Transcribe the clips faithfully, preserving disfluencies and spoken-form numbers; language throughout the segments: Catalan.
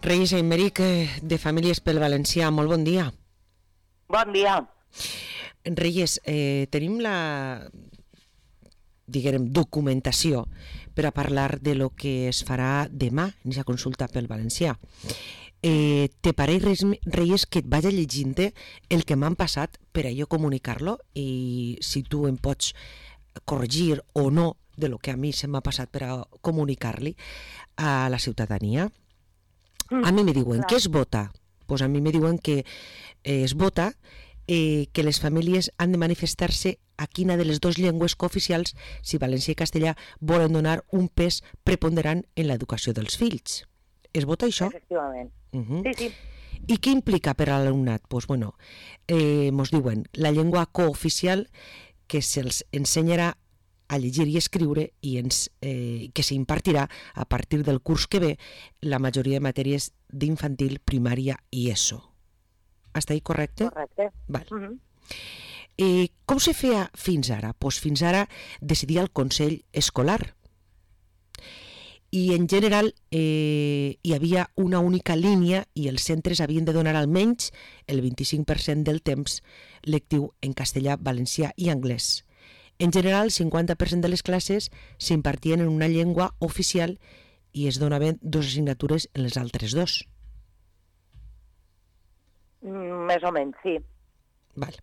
Reyes Aymeric, de Famílies pel Valencià, molt bon dia. Bon dia. Reyes, eh, tenim la, diguem, documentació per a parlar de lo que es farà demà en aquesta consulta pel Valencià. Eh, te pareix, Reyes, que et vagi llegint-te el que m'han passat per a jo comunicar-lo, i si tu em pots corregir o no de lo que a mi se m'ha passat per a comunicar-li a la ciutadania. A mi me diuen que es vota, pues a mi me diuen que eh, es vota eh, que les famílies han de manifestar-se a quina de les dues llengües cooficials, si valencià i castellà, volen donar un pes preponderant en l'educació dels fills. Es vota això? Efectivament. Uh-huh. Sí, sí. I què implica per a l'alumnat? Pues bueno, eh, mos diuen la llengua cooficial que se'ls ensenyarà a llegir i escriure i ens, eh, que s'impartirà a partir del curs que ve la majoria de matèries d'infantil, primària i ESO. Està ahí correcte? Correcte. Val. Uh-huh. Eh, com se feia fins ara? Pues fins ara decidia el Consell Escolar. I en general eh, hi havia una única línia i els centres havien de donar almenys el vint-i-cinc per cent del temps lectiu en castellà, valencià i anglès. En general, el cinquanta per cent de les classes s'impartien en una llengua oficial i es donaven dues assignatures en les altres dos. Mm, més o menys, sí. Val.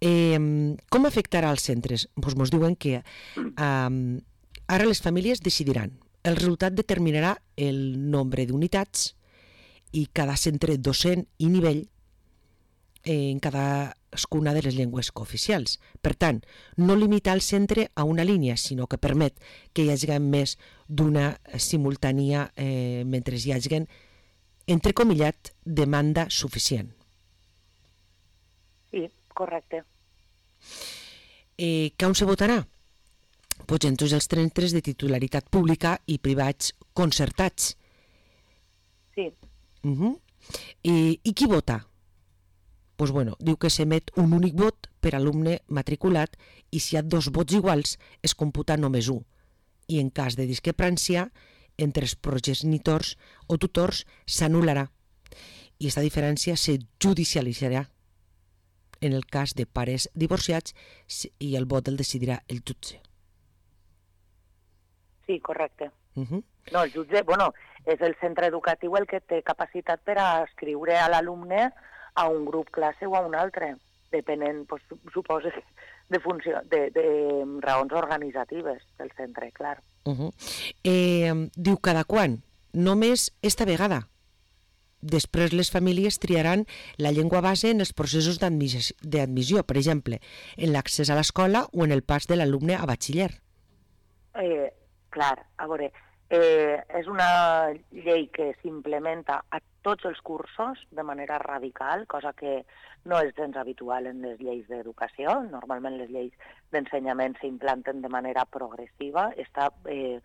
Eh, com afectarà als centres? Pues mos diuen que eh, ara les famílies decidiran. El resultat determinarà el nombre d'unitats i cada centre docent i nivell en cadascuna de les llengües cooficials. Per tant, no limita el centre a una línia, sinó que permet que hi hagi més d'una simultània eh, mentre hi hagi, entrecomillat, demanda suficient. Sí, correcte. Eh, que on se votarà? Pues en tots els centres de titularitat pública i privats concertats. Sí. Uh-huh. I, I qui vota? Pues bueno, diu que s'emet un únic vot per alumne matriculat i si hi ha dos vots iguals es computa només un. I en cas de discrepància entre els progenitors o tutors s'anul·larà i aquesta diferència se judicialitzarà en el cas de pares divorciats i el vot el decidirà el jutge. Sí, correcte. Uh-huh. No, el jutge, bueno, és el centre educatiu el que té capacitat per a escriure a l'alumne a un grup classe o a un altre, depenent, pues, suposo, de, funció, de, de raons organitzatives del centre, clar. Uh-huh. Eh, diu cada quan? Només esta vegada. Després les famílies triaran la llengua base en els processos d'admissió, per exemple, en l'accés a l'escola o en el pas de l'alumne a batxiller. Eh, clar, a veure, eh, és una llei que s'implementa a tots els cursos de manera radical, cosa que no és gens habitual en les lleis d'educació. Normalment les lleis d'ensenyament s'implanten de manera progressiva, està, eh,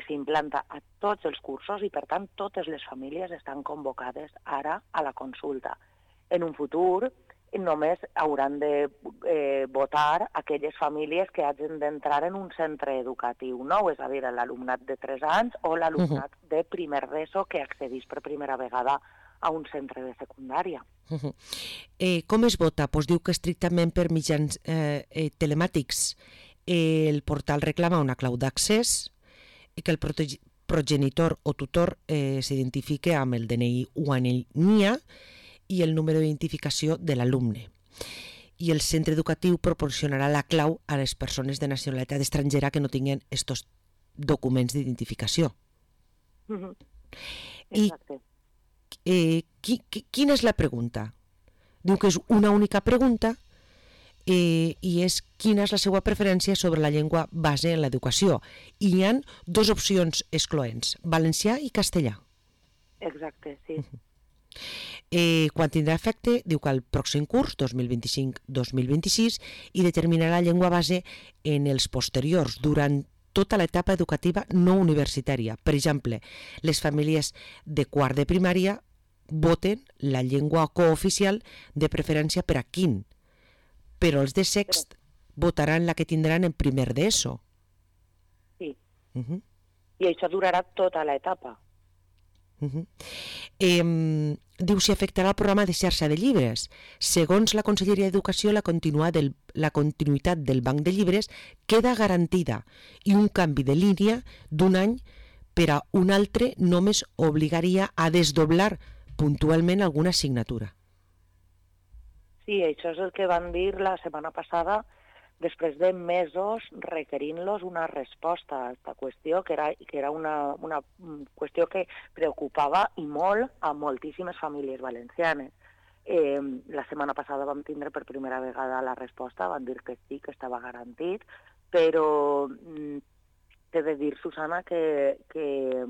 s'implanta a tots els cursos i, per tant, totes les famílies estan convocades ara a la consulta. En un futur només hauran de eh, votar aquelles famílies que hagin d'entrar en un centre educatiu nou, és a dir, l'alumnat de tres anys o l'alumnat uh-huh. de primer d'ESO que accedís per primera vegada a un centre de secundària. Uh-huh. Eh, com es vota? Pues diu que estrictament per mitjans eh, eh, telemàtics eh, el portal reclama una clau d'accés i que el protege- progenitor o tutor eh, s'identifique amb el D N I o en el N I A i el número d'identificació de l'alumne. I el centre educatiu proporcionarà la clau a les persones de nacionalitat estrangera que no tinguin estos documents d'identificació. Uh-huh. I eh, qui, qui, quina és la pregunta? Diu que és una única pregunta eh, i és quina és la seva preferència sobre la llengua base en l'educació. I hi ha dues opcions excloents, valencià i castellà. Exacte, sí. Uh-huh. Eh, quan tindrà efecte, diu que el pròxim curs, dos mil vint-i-cinc dos mil vint-i-sis, i determinarà la llengua base en els posteriors, durant tota l'etapa educativa no universitària. Per exemple, les famílies de quart de primària voten la llengua cooficial de preferència per a quin, però els de sext votaran la que tindran en primer d'ESO. Sí. Uh-huh. I això durarà tota l'etapa. Uh -huh. eh, diu si afectarà el programa de xarxa de llibres. Segons la Conselleria d'Educació, la, del, la continuïtat del banc de llibres queda garantida i un canvi de línia d'un any per a un altre només obligaria a desdoblar puntualment alguna assignatura. Sí, això és el que van dir la setmana passada, després de mesos requerint-los una resposta a aquesta qüestió, que era, que era una, una qüestió que preocupava i molt a moltíssimes famílies valencianes. Eh, la setmana passada vam tindre per primera vegada la resposta, van dir que sí, que estava garantit, però mm, t'he de dir, Susana, que, que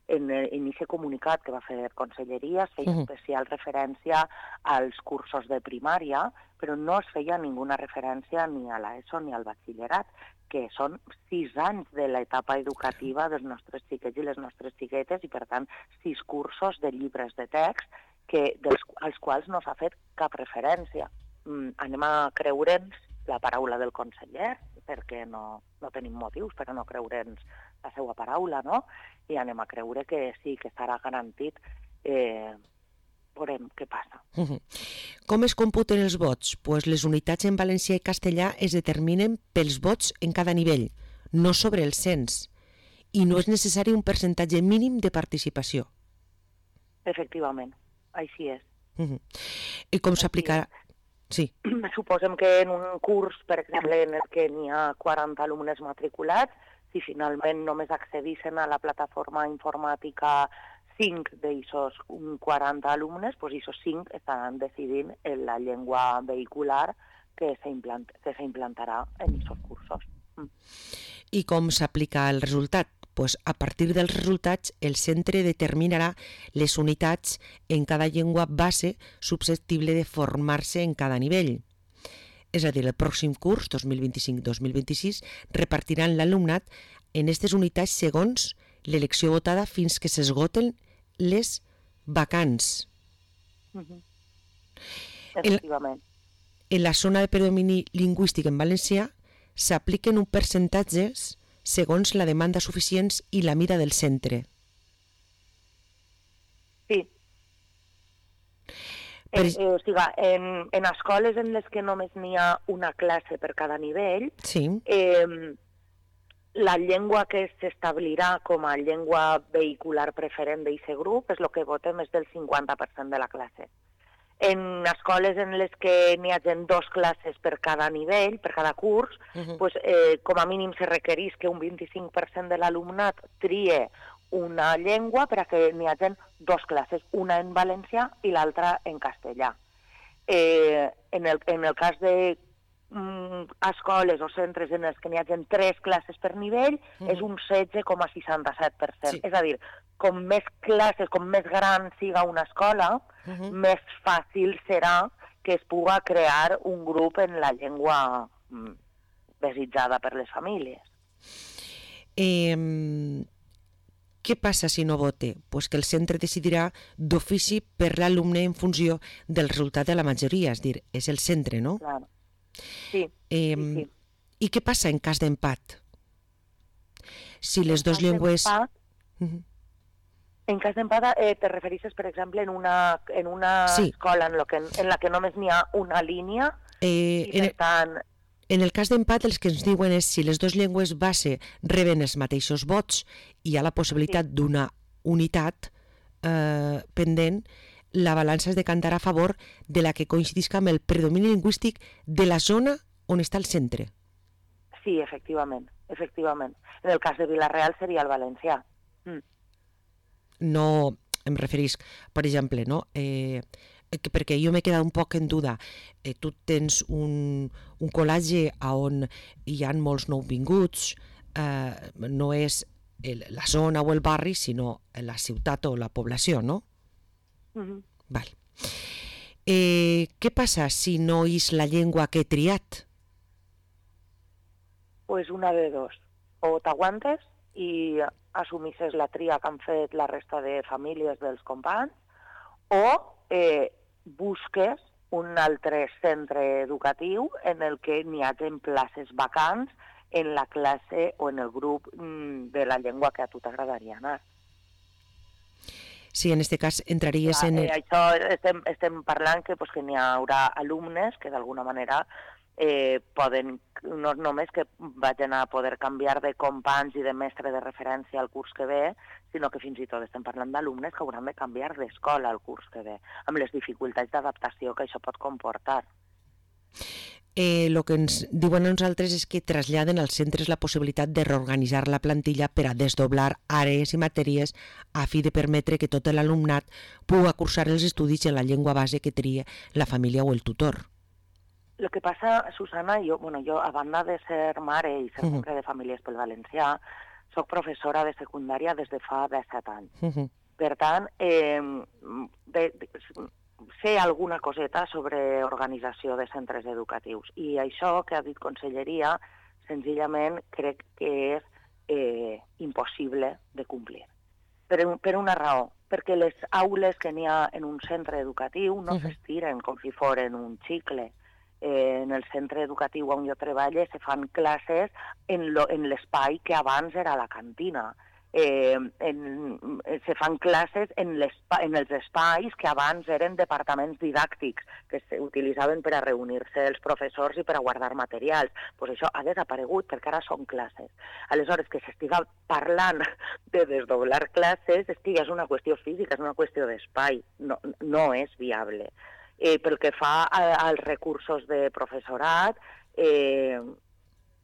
en l'inici comunicat que va fer Conselleria es feia uh -huh. especial referència als cursos de primària, però no es feia ninguna referència ni a l'ESO ni al batxillerat, que són sis anys de l'etapa educativa dels nostres xiquets i les nostres xiquetes i, per tant, sis cursos de llibres de text que, dels, als quals no s'ha fet cap referència. Mm, anem a creure'ns la paraula del conseller, perquè no, no tenim motius per a no creure'ns la seva paraula, no? I anem a creure que sí, que estarà garantit. Eh, veurem què passa. Uh -huh. Com es computen els vots? Pues les unitats en valencià i castellà es determinen pels vots en cada nivell, no sobre el cens, i no és necessari un percentatge mínim de participació. Efectivament, així és. Uh -huh. I com s'aplicarà? Sí. Suposem que en un curs, per exemple, en el que n'hi ha quaranta alumnes matriculats, si finalment només accedissin a la plataforma informàtica cinc d'eixos quaranta alumnes, doncs aquests cinc estaran decidint en la llengua vehicular que s'implantarà en aquests cursos. Mm. I com s'aplica el resultat? Pues a partir dels resultats, el centre determinarà les unitats en cada llengua base susceptible de formar-se en cada nivell. És a dir, el pròxim curs, dos mil vint-i-cinc dos mil vint-i-sis, repartiran l'alumnat en aquestes unitats segons l'elecció votada fins que s'esgoten les vacants. Uh-huh. Efectivament. En, en la zona de predomini lingüístic en valencià s'apliquen un percentatges segons la demanda suficients i la mida del centre. Sí. Per... Eh, o sigui, en, en escoles en les que només n'hi ha una classe per cada nivell, sí. eh, la llengua que s'establirà com a llengua vehicular preferent d'aquest grup és el que votem és del cinquanta per cent de la classe. En escoles en les que n'hi hagi dos classes per cada nivell, per cada curs, uh-huh. pues, eh, com a mínim se requereix que un vint-i-cinc per cent de l'alumnat trie una llengua per a que n'hi hagi dos classes, una en valencià i l'altra en castellà. Eh, en, el, en el cas de mm, escoles o centres en els que n'hi hagi tres classes per nivell, uh-huh. és un setze coma seixanta-set per cent. Sí. És a dir, com més classes, com més gran siga una escola, uh-huh. més fàcil serà que es puga crear un grup en la llengua mm, desitjada per les famílies. Eh, què passa si no vote? Pues que el centre decidirà d'ofici per l'alumne en funció del resultat de la majoria, és dir, és el centre, no? Claro. Sí, eh, sí, sí. I què passa en cas d'empat? Si les dues llengües... Uh-huh. En cas d'empat, eh, te refereixes, per exemple, en una, en una sí. escola en, lo que, en la que només n'hi ha una línia eh, i, per en, tant... En el cas d'empat, els que ens diuen és si les dues llengües base reben els mateixos vots i hi ha la possibilitat sí. d'una unitat eh, pendent, la balança es decantarà a favor de la que coincidisca amb el predomini lingüístic de la zona on està el centre. Sí, efectivament, efectivament. En el cas de Vila-real seria el valencià. Mm. No, em referís, per exemple, no? Eh, perquè jo m'he quedat un poc en duda. Eh, tu tens un, un col·legi on hi ha molts nouvinguts, eh, no és el, la zona o el barri, sinó la ciutat o la població, no? Mm-hmm. Val. Eh, què passa si no és la llengua que he triat? Pues una de dos. O t'aguantes i assumisses la tria que han fet la resta de famílies dels companys, o eh, busques un altre centre educatiu en el que n'hi hagi places vacants en la classe o en el grup de la llengua que a tu t'agradaria anar. Sí, en este cas entraries Clar, en... eh, El... això estem, estem parlant que, pues, que n'hi haurà alumnes que d'alguna manera eh, poden, no només que vagin a poder canviar de companys i de mestre de referència al curs que ve, sinó que fins i tot estem parlant d'alumnes que hauran de canviar d'escola al curs que ve, amb les dificultats d'adaptació que això pot comportar. El eh, que ens diuen a nosaltres és que traslladen als centres la possibilitat de reorganitzar la plantilla per a desdoblar àrees i matèries a fi de permetre que tot l'alumnat pugui cursar els estudis en la llengua base que tria la família o el tutor. El que passa, Susana, jo, bueno, jo a banda de ser mare i ser membre uh -huh. de Famílies pel Valencià, soc professora de secundària des de fa disset anys. Uh -huh. Per tant, eh, de, de, sé alguna coseta sobre organització de centres educatius. I això que ha dit Conselleria, senzillament crec que és eh, impossible de complir. Per, per una raó, perquè les aules que n'hi ha en un centre educatiu no uh -huh. s'estiren com si foren un xicle. Eh, en el centre educatiu on jo treballo se fan classes en, lo, en l'espai que abans era la cantina. Eh, en, se fan classes en, en els espais que abans eren departaments didàctics, que s'utilitzaven per a reunir-se els professors i per a guardar materials. Pues això ha desaparegut perquè ara són classes. Aleshores, que s'estiga parlant de desdoblar classes, estiga, és una qüestió física, és una qüestió d'espai, no, no és viable. Eh, pel que fa a, als recursos de professorat, eh,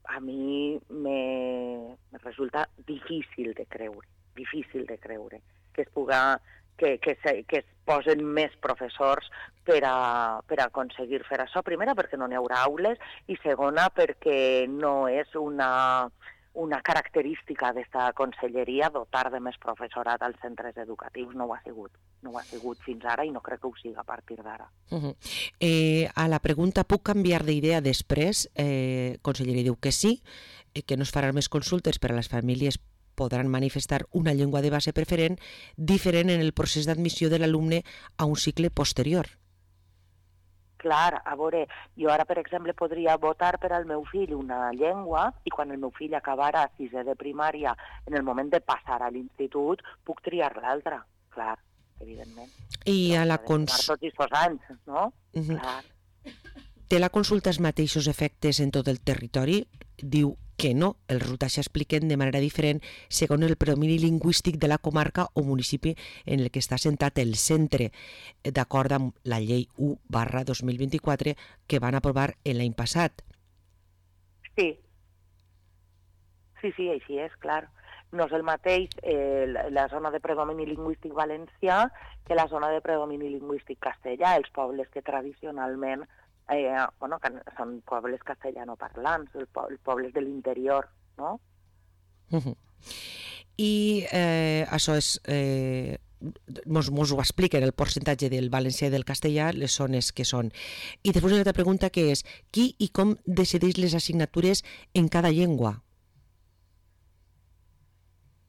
a mi me, me resulta difícil de creure, difícil de creure que es puga, que, que, se, que es posen més professors per a, per a aconseguir fer això. Primera, perquè no n'hi haurà aules, i segona, perquè no és una... una característica d'esta conselleria dotar de més professorat als centres educatius. No ho ha sigut. No ho ha sigut fins ara i no crec que ho siga a partir d'ara. Uh -huh. eh, a la pregunta, puc canviar d'idea després? Eh, conselleria diu que sí, eh, que no es faran més consultes per a les famílies podran manifestar una llengua de base preferent diferent en el procés d'admissió de l'alumne a un cicle posterior. Clar, a veure, jo ara, per exemple, podria votar per al meu fill una llengua i quan el meu fill acabarà sisè de primària, en el moment de passar a l'institut, puc triar l'altra, clar, evidentment. I a la consulta... Tots aquests anys, no? Uh -huh. Clar. Té la consulta els mateixos efectes en tot el territori? Diu que no, els resultats s'expliquen de manera diferent segons el predomini lingüístic de la comarca o municipi en el que està assentat el centre, d'acord amb la llei u barra dos mil vint-i-quatre que van aprovar l'any passat. Sí. Sí, sí, així és, clar. No és el mateix eh, la zona de predomini lingüístic valencià que la zona de predomini lingüístic castellà. Els pobles que tradicionalment Eh, bueno, que són pobles castellanoparlants, els pobles de l'interior, no? Uh -huh. I eh, això és... Eh, mos, mos ho expliquen, el percentatge del valencià i del castellà, les zones que són. I després una altra pregunta que és, qui i com decideix les assignatures en cada llengua?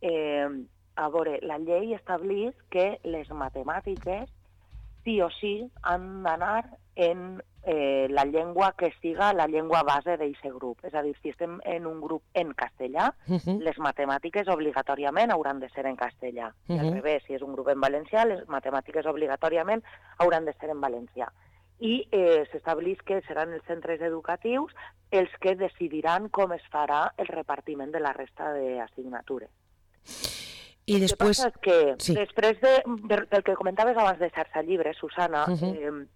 Eh, a veure, la llei estableix que les matemàtiques sí o sí han d'anar en eh, la llengua que siga la llengua base d'aquest grup. És a dir, si estem en un grup en castellà, uh -huh. les matemàtiques obligatòriament hauran de ser en castellà. Uh -huh. I al revés, si és un grup en valencià, les matemàtiques obligatòriament hauran de ser en valencià. I eh, s'estableix que seran els centres educatius els que decidiran com es farà el repartiment de la resta d'assignatures. I després... El que passa és que sí. després de, del que comentaves abans de xarxa llibre, Susana, uh -huh. eh,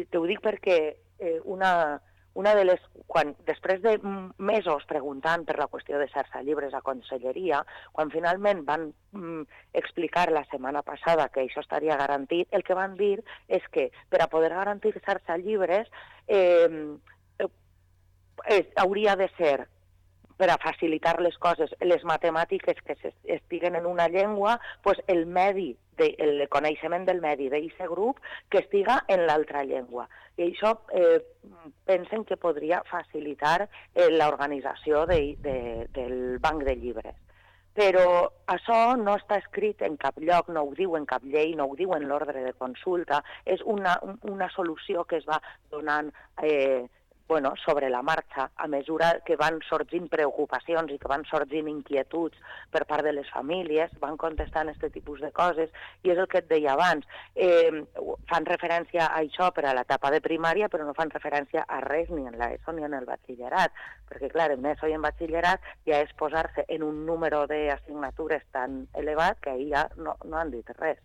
t'ho dic perquè eh, una, una de les... Quan, després de mesos preguntant per la qüestió de xarxa llibres a Conselleria, quan finalment van mm, explicar la setmana passada que això estaria garantit, el que van dir és que per a poder garantir xarxa llibres eh, eh, hauria de ser per a facilitar les coses, les matemàtiques que estiguen en una llengua, pues el medi, de, el coneixement del medi d'aquest grup que estiga en l'altra llengua. I això eh, pensen que podria facilitar eh, l'organització de, de, del banc de llibres. Però això no està escrit en cap lloc, no ho diu en cap llei, no ho diu en l'ordre de consulta, és una, una solució que es va donant... Eh, bueno, sobre la marxa, a mesura que van sorgint preocupacions i que van sorgint inquietuds per part de les famílies, van contestant aquest tipus de coses, i és el que et deia abans. Eh, fan referència a això per a l'etapa de primària, però no fan referència a res ni en l'ESO ni en el batxillerat, perquè, clar, en ESO i en batxillerat ja és posar-se en un número d'assignatures tan elevat que ahir ja no, no han dit res.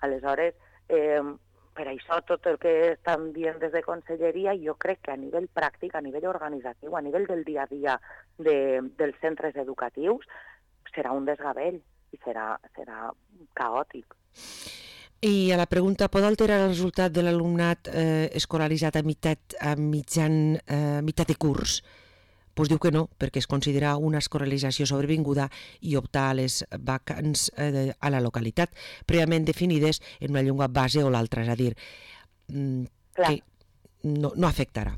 Aleshores, eh, per això tot el que estan dient des de Conselleria, jo crec que a nivell pràctic, a nivell organitzatiu, a nivell del dia a dia de, dels centres educatius, serà un desgavell i serà, serà caòtic. I a la pregunta, pot alterar el resultat de l'alumnat eh, escolaritzat a meitat, a mitjan, eh, meitat de curs? Pues diu que no, perquè es considera una escolarització sobrevinguda i optar a les vacants eh, a la localitat, prèviament definides en una llengua base o l'altra, és a dir, mm, que no, no afectarà.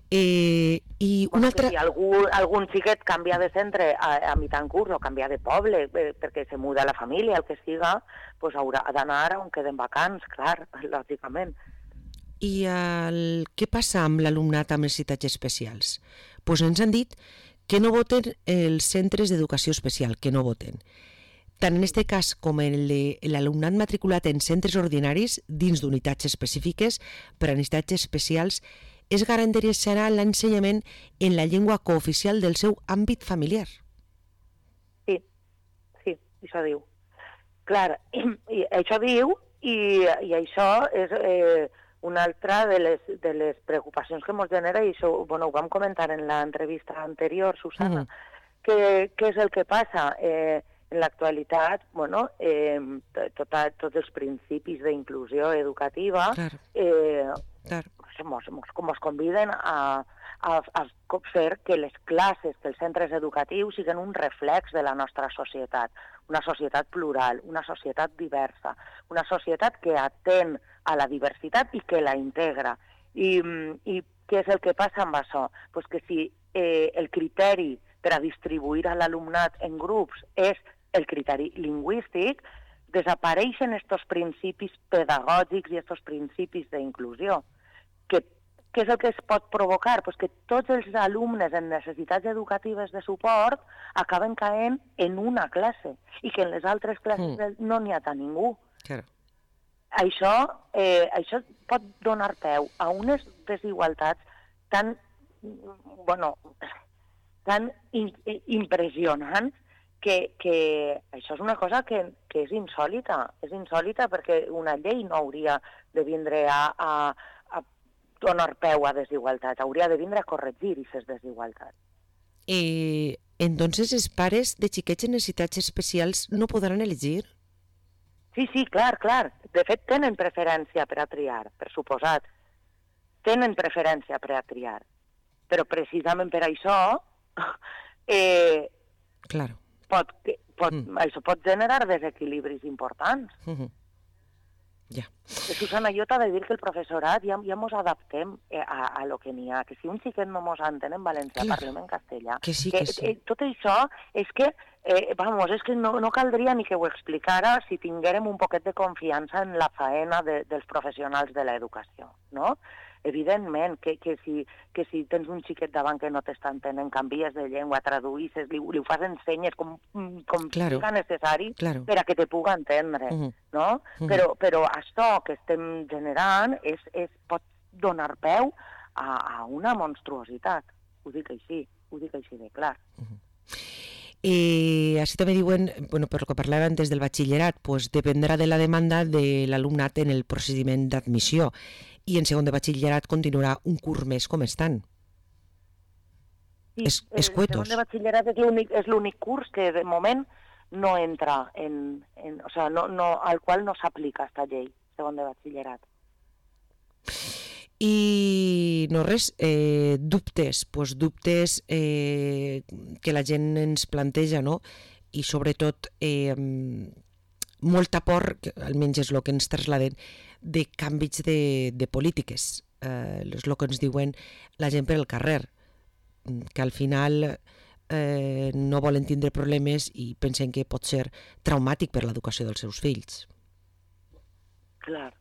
Eh, i una altra... Si algú, algun xiquet canvia de centre a, a mitjan curs o canvia de poble eh, perquè se muda la família, el que siga, pues haurà d'anar on queden vacants, clar, lògicament. I el... què passa amb l'alumnat amb necessitats especials? Pues ens han dit que no voten els centres d'educació especial, que no voten. Tant en aquest cas com en l'alumnat matriculat en centres ordinaris dins d'unitats específiques per a necessitats especials es garantirà l'ensenyament en la llengua cooficial del seu àmbit familiar. Sí, sí, això diu. Clar, i, i això diu i, i això és... Eh, una altra de les, de les preocupacions que ens genera, i això bueno, ho vam comentar en l'entrevista anterior, Susana, mm. que, què és el que passa? Eh, en l'actualitat, bueno, eh, tota, tots els principis d'inclusió educativa claro. eh, claro. Mos, mos, com ens conviden a, a, a fer que les classes, que els centres educatius siguin un reflex de la nostra societat, una societat plural, una societat diversa, una societat que atén a la diversitat i que la integra. I, i què és el que passa amb això? Pues que si eh, el criteri per a distribuir a l'alumnat en grups és el criteri lingüístic, desapareixen estos principis pedagògics i estos principis d'inclusió. Que, què és el que es pot provocar? Pues que tots els alumnes en necessitats educatives de suport acaben caent en una classe i que en les altres classes mm. no n'hi ha tant ningú. Claro. Això, eh, això pot donar peu a unes desigualtats tan, bueno, tan in, impressionants que, que això és una cosa que, que és insòlita. És insòlita perquè una llei no hauria de vindre a, a, a donar peu a desigualtats, hauria de vindre a corregir aquestes desigualtats. I entonces els pares de xiquets en necessitats especials no podran elegir? Sí, sí, clar, clar. De fet, tenen preferència per a triar, per suposat. Tenen preferència per a triar. Però precisament per això eh, claro. pot, pot, mm. això pot generar desequilibris importants. Mm-hmm. Ja. Susana, jo t'he de dir que el professorat ja, ja mos adaptem a, a lo que n'hi ha, que si un xiquet no mos entén en valencià, clar. Parlem en castellà. Que sí, que, que sí. Eh, tot això és que, eh, vamos, és que no, no caldria ni que ho explicara si tinguérem un poquet de confiança en la faena de, dels professionals de l'educació, no? Evidentment que, que, si, que si tens un xiquet davant que no t'està entenent, canvies de llengua, traduïsses, li, li ho fas ensenyes com, com claro. siga necessari claro. per a que te puga entendre, uh-huh. no? Uh-huh. Però, però això que estem generant és, és, pot donar peu a, a una monstruositat. Ho dic així, ho dic així de clar. Uh-huh. I així també diuen, bueno, per lo que parlàvem des del batxillerat, pues dependrà de la demanda de l'alumnat en el procediment d'admissió i en segon de batxillerat continuarà un curs més com estan. Sí, es, escuetos. El segon de batxillerat és l'únic, és l'únic curs que de moment no entra en, en o sea, no, no, al qual no s'aplica esta llei, segon de batxillerat. I no res, eh, dubtes, pues dubtes eh, que la gent ens planteja, no? I sobretot eh, molta por, que almenys és el que ens traslladen, de canvis de, de polítiques. Eh, és el que ens diuen la gent per el carrer, que al final eh, no volen tindre problemes i pensen que pot ser traumàtic per l'educació dels seus fills. Clar.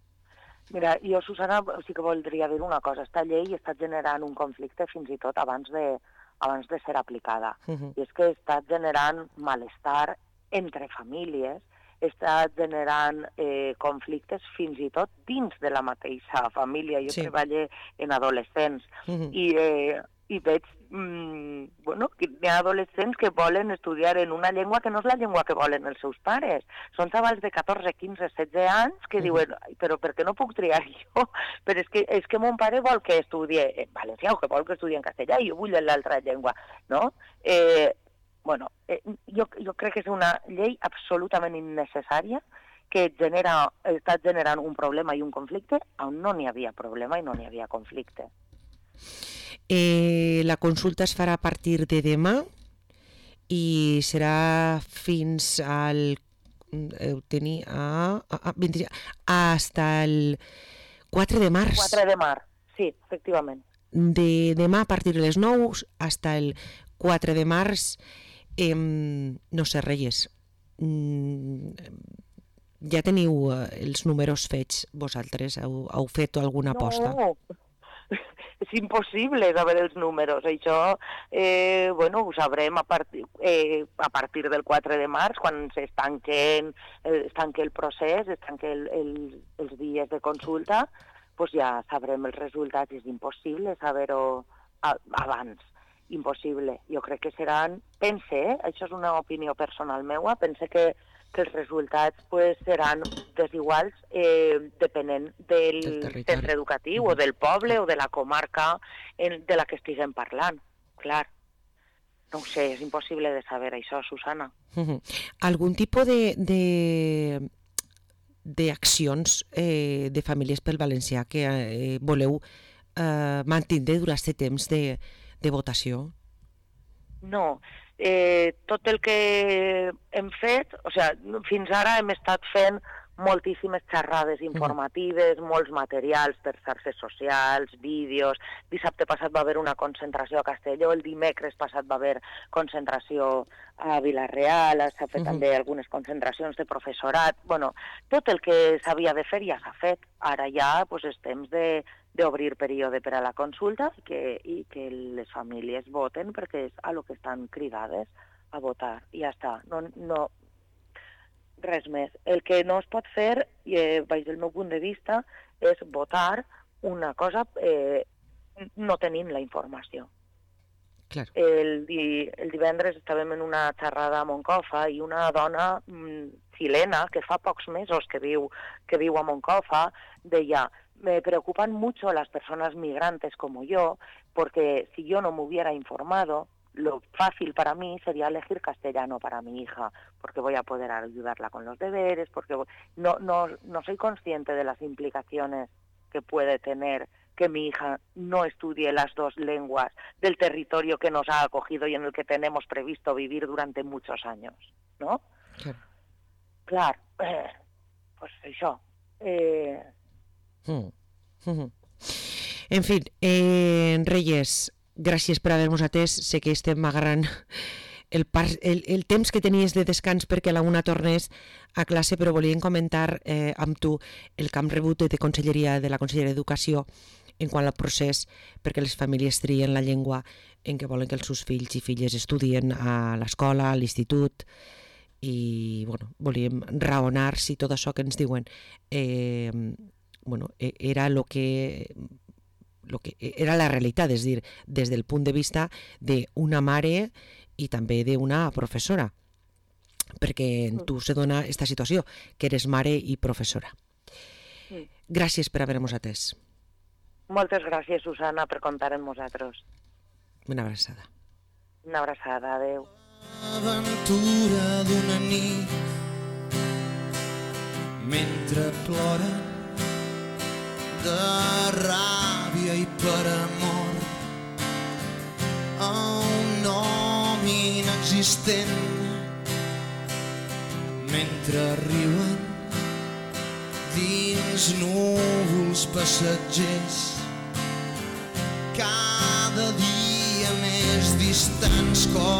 Mira, jo, Susana, sí que voldria dir una cosa. Esta llei està generant un conflicte fins i tot abans de, abans de ser aplicada. Uh-huh. I és que està generant malestar entre famílies, està generant eh, conflictes fins i tot dins de la mateixa família. Jo sí. treballo en adolescents uh-huh. i, eh, i veig mm, bueno, que hi ha adolescents que volen estudiar en una llengua que no és la llengua que volen els seus pares. Són xavals de catorze, quinze, setze anys que uh-huh. diuen, però per què no puc triar jo? Però és que, és que mon pare vol que estudie en valencià o que vol que estudie en castellà i jo vull l'altra llengua, no? Eh, Bueno, eh, jo, jo crec que és una llei absolutament innecessària que genera, està generant un problema i un conflicte on no n'hi havia problema i no n'hi havia conflicte. Eh, la consulta es farà a partir de demà i serà fins al heu tenir a, a, a vint, hasta el quatre de març. quatre de març, sí, efectivament. De demà a partir de les nou hasta el quatre de març. Eh, no sé, Reyes, mm, ja teniu eh, els números fets vosaltres? Heu, heu fet alguna aposta? No, és impossible saber els números. Això eh, bueno, ho sabrem a partir, eh, a partir del quatre de març, quan es tanquen, es tanqui el procés, es tanquen el, el, els dies de consulta, pues ja sabrem els resultats. És impossible saber-ho abans. Impossible. Jo crec que seran, pense, eh? Això és una opinió personal meua, pense que, que els resultats pues, seran desiguals eh, depenent del, del centre educatiu uh-huh. o del poble o de la comarca en, de la que estiguem parlant. Clar, no ho sé, és impossible de saber això, Susana. Uh-huh. Algun tipus de, de, d'accions eh, de famílies pel valencià que eh, voleu eh, mantindre durant aquest temps de de votació? No. Eh, tot el que hem fet, o sigui, fins ara hem estat fent moltíssimes xerrades informatives, mm. molts materials per xarxes socials, vídeos. Dissabte passat va haver una concentració a Castelló, el dimecres passat va haver concentració a Vila-real, s'ha fet mm-hmm. també algunes concentracions de professorat. Bueno, tot el que s'havia de fer ja s'ha fet. Ara ja pues, és temps de d'obrir període per a la consulta i que, i que les famílies voten perquè és a lo que estan cridades a votar. I ja està. No, no, res més. El que no es pot fer, eh, baix del meu punt de vista, és votar una cosa eh, no tenint la informació. Claro. El, di, el divendres estàvem en una xerrada a Moncofa i una dona mm, xilena que fa pocs mesos que viu, que viu a Moncofa deia: me preocupan mucho las personas migrantes como yo, porque si yo no me hubiera informado, lo fácil para mí sería elegir castellano para mi hija, porque voy a poder ayudarla con los deberes, porque voy... no, no, no soy consciente de las implicaciones que puede tener que mi hija no estudie las dos lenguas del territorio que nos ha acogido y en el que tenemos previsto vivir durante muchos años, ¿no? Sí. Clar, eh, pues això... Eh... Mm. Mm-hmm. En fi, eh, Reyes, gràcies per haver-nos atès. Sé que estem agarrant el, par, el, el temps que tenies de descans perquè a la una tornes a classe, però volíem comentar eh, amb tu el que hem rebut de Conselleria de la Conselleria d'Educació en quant al procés perquè les famílies trien la llengua en què volen que els seus fills i filles estudien a l'escola, a l'institut, i bueno, volíem raonar si tot això que ens diuen eh, bueno, era lo que, lo que era la realitat, és a dir, des del punt de vista d'una mare i també d'una professora, perquè en tu se dona aquesta situació, que eres mare i professora. Gràcies per haver-nos atès. Moltes gràcies, Susana, per comptar amb nosaltres. Una abraçada. Una abraçada, adeu. Aventura d'una nit mentre ploren de ràbia i per amor a un nom inexistent mentre riuen dins núvols passatgers cada dia més distants com